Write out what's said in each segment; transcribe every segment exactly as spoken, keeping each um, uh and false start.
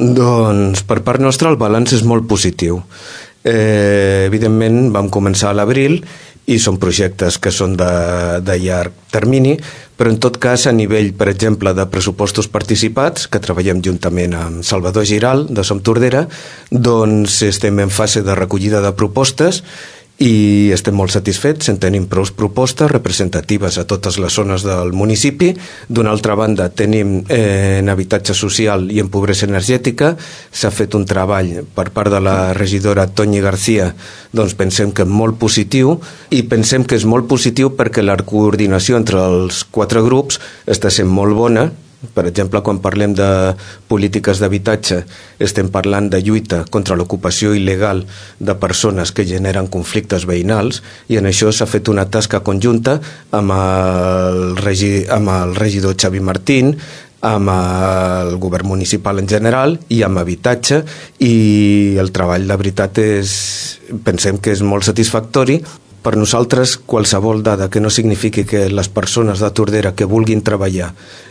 Doncs per part nostra el balanç és molt positiu. Eh, evidentment vam començar a l'abril i són projectes que són de, de llarg termini, però en tot cas a nivell, per exemple, de pressupostos participats, que treballem juntament amb Salvador Giral de Som Tordera, doncs estem en fase de recollida de propostes i estem molt satisfets, en tenim prou propostes representatives a totes les zones del municipi. D'una altra banda tenim eh, en habitatge social i en pobresa energètica, s'ha fet un treball per part de la regidora Toñi García, doncs pensem que és molt positiu, i pensem que és molt positiu perquè la coordinació entre els quatre grups està sent molt bona. Per exemple, quan parlem de polítiques d'habitatge, estem parlant de lluita contra l'ocupació il·legal de persones que generen conflictes veïnals, i en això s'ha fet una tasca conjunta amb el, regi, amb el regidor Xavi Martín, amb el govern municipal en general i amb habitatge, i el treball de veritat és, pensem que és molt satisfactori. Per nosaltres, qualsevol dada que no signifiqui que les persones de Tordera que vulguin treballar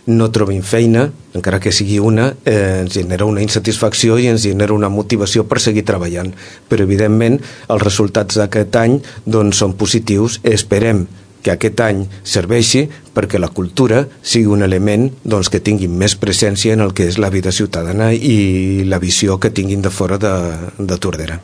no trobin feina, encara que sigui una, eh, ens genera una insatisfacció i ens genera una motivació per seguir treballant. Però, evidentment, els resultats d'aquest any doncs, són positius. Esperem que aquest any serveixi perquè la cultura sigui un element doncs, que tingui més presència en el que és la vida ciutadana i la visió que tinguin de fora de, de Tordera.